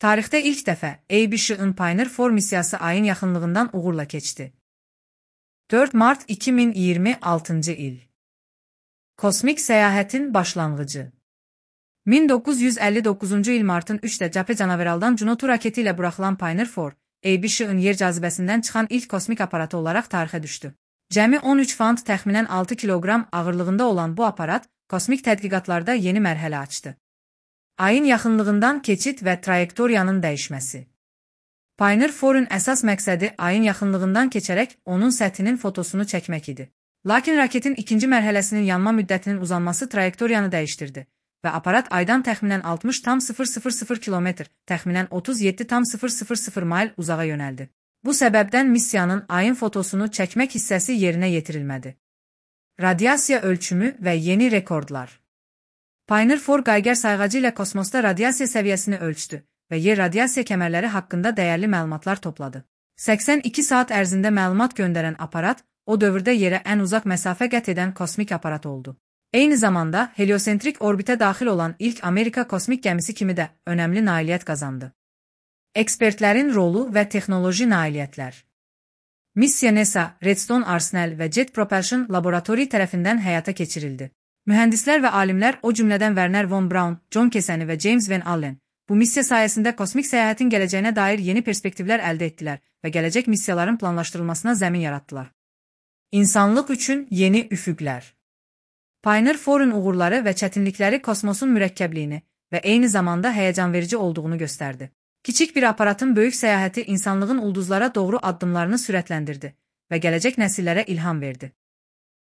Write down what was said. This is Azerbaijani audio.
Tarixdə ilk dəfə ABC-in Pioneer 4 missiyası ayın yaxınlığından uğurla keçdi. 4 Mart 2026 il. Kosmik səyahətin başlanğıcı. 1959-cu il martın 3-də Cəbhə Canaveraldan Juno raketi ilə buraxılan Pioneer 4, ABC-in yer cazibəsindən çıxan ilk kosmik aparatı olaraq tarixə düşdü. Cəmi 13 fant təxminən 6 kiloqram ağırlığında olan bu aparat kosmik tədqiqatlarda yeni mərhələ açdı. Ayın yaxınlığından keçid və trayektoriyanın dəyişməsi. Pioneer 4-ün əsas məqsədi ayın yaxınlığından keçərək onun səthinin fotosunu çəkmək idi. Lakin raketin ikinci mərhələsinin yanma müddətinin uzanması trayektoriyanı dəyişdirdi və aparat aydan təxminən 60,000 kilometr, təxminən 37,000 mayl uzağa yönəldi. Bu səbəbdən missiyanın ayın fotosunu çəkmək hissəsi yerinə yetirilmədi. Radiasiya ölçümü və yeni rekordlar. Pioneer 4 Geiger sayğacı ilə kosmosda radiasiya səviyyəsini ölçdü və yer radiasiya kəmərləri haqqında dəyərli məlumatlar topladı. 82 saat ərzində məlumat göndərən aparat, o dövrdə yerə ən uzaq məsafə qət edən kosmik aparat oldu. Eyni zamanda heliosentrik orbitə daxil olan ilk Amerika kosmik gəmisi kimi də önəmli nailiyyət qazandı. Ekspertlərin rolu və texnoloji nailiyyətlər. Missiya NASA, Redstone Arsenal və Jet Propulsion Laboratory tərəfindən həyata keçirildi. Mühəndislər və alimlər, o cümlədən Werner von Braun, John Cassini və James Van Allen, bu missiya sayəsində kosmik səyahətin gələcəyinə dair yeni perspektivlər əldə etdilər və gələcək missiyaların planlaşdırılmasına zəmin yaratdılar. İnsanlıq üçün yeni üfüqlər. Pioneer 4-ün uğurları və çətinlikləri kosmosun mürəkkəbliyini və eyni zamanda həyəcanverici olduğunu göstərdi. Kiçik bir aparatın böyük səyahəti insanlığın ulduzlara doğru addımlarını sürətləndirdi və gələcək nəsillərə ilham verdi.